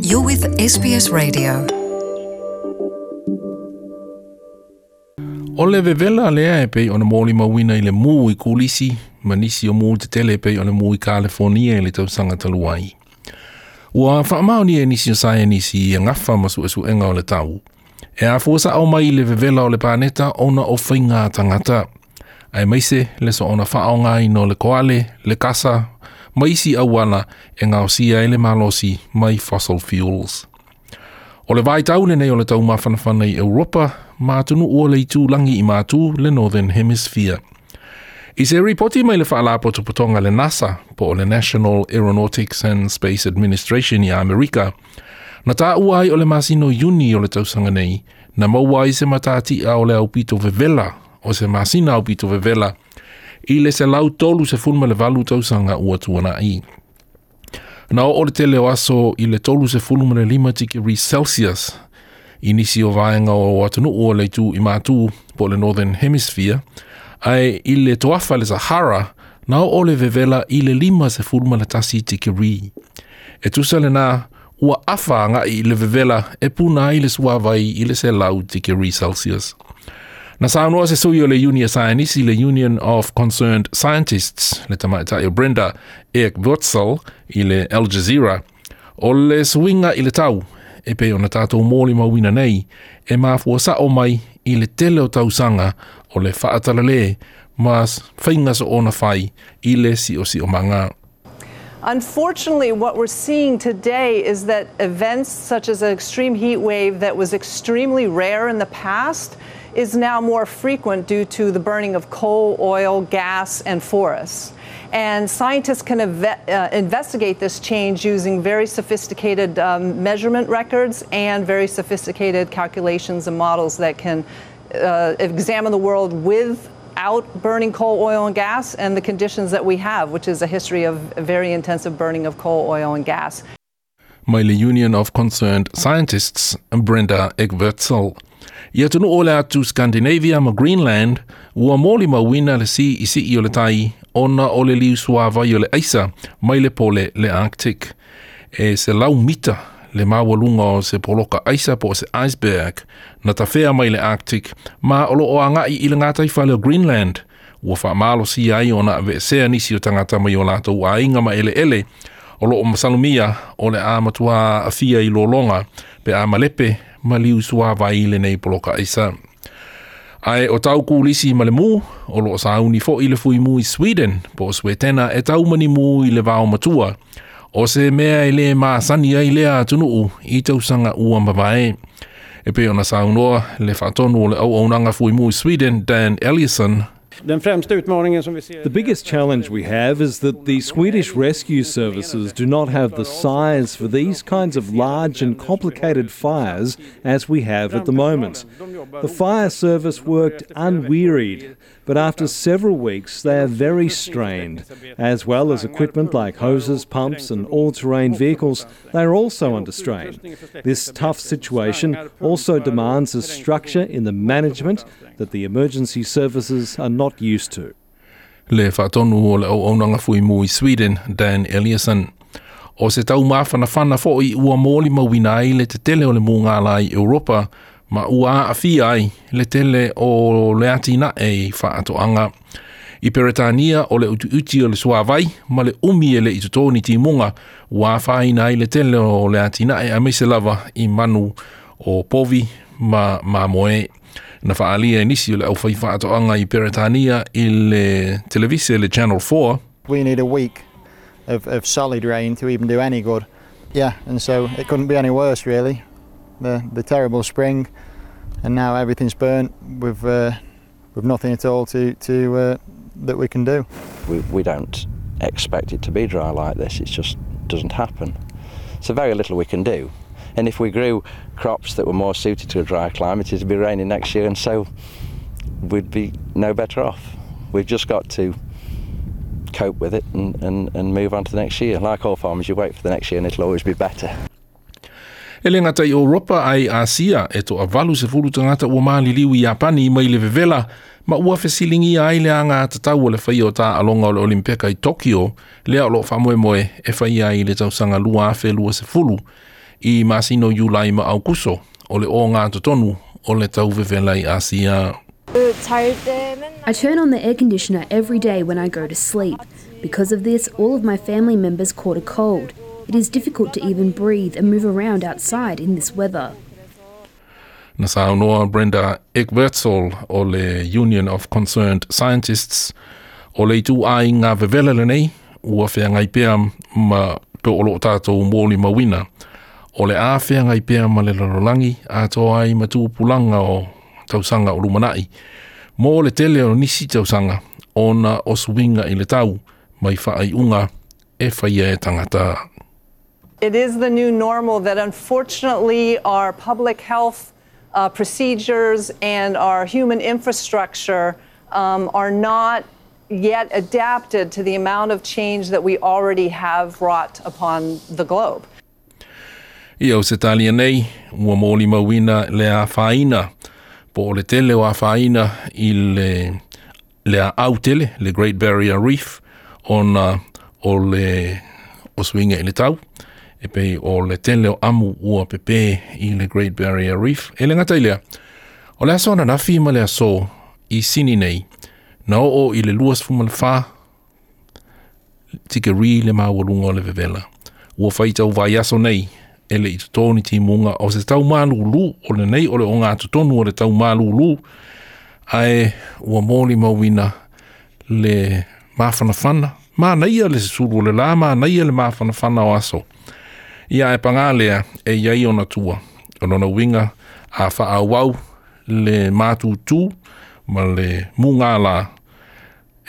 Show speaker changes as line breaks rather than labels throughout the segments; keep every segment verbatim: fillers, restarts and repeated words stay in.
You're with S B S Radio.
O le vevela lea e pei ona molimauina i le mū i Kulisi ma nisi o mū tetele e pei ona mū i California i le tausaga talu ai. Ua faamaonia e nisi o saienisi ia gafa ma suesuega o le tau. E afua sa'o mai i le vevela o le paneta ona o faiga tagata. Aemaise le soona faaaogaina o le koale, le kasa, ma isi auala e gaosia ai le malosi mai fossil fuels. O le vaitau lenei o le taumafanafana i Europa ma atunuu o le itulagi i matu le Northern Hemisphere. I se ripoti mai le faalapotopotoga le NASA po o le National Aeronautics and Space Administration i Amerika, na taua ai o le masina o Iuni o le tausaga nei, na maua ai se matatia o le aupito vevela, o se masina aupito vevela, i le selau tolu sefulu ma le valu tausaga ua tuana'i. Na oo le tele o aso i le tolu sefulu ma le lima tikeri Celsius i nisi o vaega o atunuu o le itu i matu po o le Northern Hemisphere, ae i le toafa le Sahara, na oo le vevela i le lima sefulu ma le tasi tikeri. E tusa lena ua afa agai i le vevela e puna ai le suavai i le selau tikeri Celsius. Na saunoa se sui o le Union Science, le Union of Concerned Scientists, le tamaitai o Brenda Ekwurzel i le Al Jazeera, o le suiga i le tau, e pei ona tatou molimauina nei, e mafua sa'o mai i le tele o tausaga o le faatalale ma faiga soona fai i le siosiomaga.
Unfortunately, what we're seeing today is that events such as an extreme heat wave that was extremely rare in the past is now more frequent due to the burning of coal, oil, gas, and forests. And scientists can uh, investigate this change using very sophisticated um, measurement records and very sophisticated calculations and models that can uh, examine the world without burning coal, oil, and gas and the conditions that we have, which is a history of very intensive burning of coal, oil, and gas.
Mai le Union of Concerned Scientists, Brenda Ekwurzel. I atunuu o le atu Scandinavia ma Greenland, ua molimauina le siisii o le tai ona o le liu suavai o le aisa mai le pole le Arctic. E selau mita le maualuga o se poloka aisa po o se iceberg na tafea mai le Arctic ma o loo agai i le gataifale o Greenland. Ua faamalosia ai ona aveesea nisi o tagata mai o latou aiga ma eleele o loo masalomia o le a matua aafia i lologa pe a malepe ma liu suavai lenei poloka aisa. Ae o tau kulisi ma le mū, o loo sauni fo'i le fuimu i Sweden, po o Suetena e taumani mū i le vaomatua. O se mea e le masani ai lea atunuu i tausaga ua mavae. E pei ona saunoa le faatonu o le auaunaga fuimu i Sweden, Dan Eliasson.
Den främsta utmaningen som vi ser.
The biggest challenge we have is that the Swedish rescue services do not have the size for these kinds of large and complicated fires as we have at the moment. The fire service worked unwearied, but after several weeks they are very strained. As well as equipment like hoses, pumps, and all terrain vehicles, they are also under strain. This tough situation also demands a structure in the management that the emergency services are not used to.
Le faatonu o le auaunaga fuimu i Sweden, Dan Eliasson. O se taumafanafana fo'i ua molimauina ai le tetele o le mugala i Europa ma ua aafia ai le tele o le atinae i faatoaga. I Peretania o le utiuti o le suavai ma le umi e le'i totō ni timuga ua afaina ai le tele o le atinae aemaise lava i manu o povi ma mamoe. Na faaalia e nisi o le aufai faatoaga i Peretania i le televise le Channel four.
We need a week of, of solid rain to even do any good. Yeah, and so it couldn't be any worse, really. The the terrible spring, and now everything's burnt with uh, with nothing at all to to uh, that we can do.
We, we don't expect it to be dry like this. It just doesn't happen. So very little we can do. And if we grew crops that were more suited to a dry climate, it'd be raining next year, and so we'd be no better off. We've just got to cope with it and, and, and move on to the next year. Like all farmers, you wait for the next year and it'll always be better.
E le gata i Europa ai Asia e toavalu sefulu tagata ua maliliu i Iapani mai le vevela ma ua fesiligia ai le agatatau o le faia o taaloga o le Olimpeka i Tokyo lea o loo faamoemoe e faia ai i le tausaga lua afe lua sefulu. I masina o Iulai ma Aukuso o le ogatotonu o le tau vevela i Asia.
I turn on the air conditioner every day when I go to sleep. Because of this, all of my family members caught a cold. It is difficult to even breathe and move around outside in this weather.
Na saunoa Brenda Eckbertsol o le Union of Concerned Scientists o le ituaiga vevela lenei ua feagai pea ma pe o loo tatou molimauina o le a feagai pea ma le lalolagi atoa ai ma tupulaga o tausaga o lumanai mo le tele o nisi tausaga ona o suiga i le tau mai faaiuga e faia e tagata.
It is the new normal that unfortunately our public health uh, procedures and our human infrastructure um, are not yet adapted to the amount of change that we already have wrought upon the globe.
I Ausetalia nei, ua molimauina le afaina, po o le tele o afaina i le, le aau tele, le Great Barrier Reef, ona o le o suiga i le tau, e pei o le tele o amu ua pepe i le Great Barrier Reef. E le gata i lea, o le aso ananafi ma le aso i Sini nei, na oo i le luasefulumafa tikeri le maualuga o le vevela. Ua faitau vaiaso nei, e le i toto ni timuga o se tau malūlū o lenei o le ogatotonu o le tau malūlū ae ua molimauina le mafanafana manaia le sulu o le lā manaia le mafanafana o aso ia e pagā lea e iai ona tua o lona uiga a faaauau le matutū ma le mugālā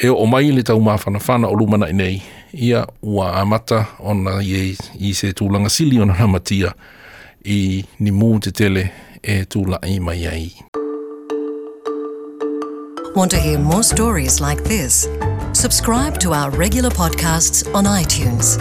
e oo mai le taumafanafana o lumanai nei ia ua amata ona i, i se tulaga sili ona lamatia i ni mū tetele e tula'i mai ai.
Want to hear more stories like this? Subscribe to our regular podcasts on iTunes.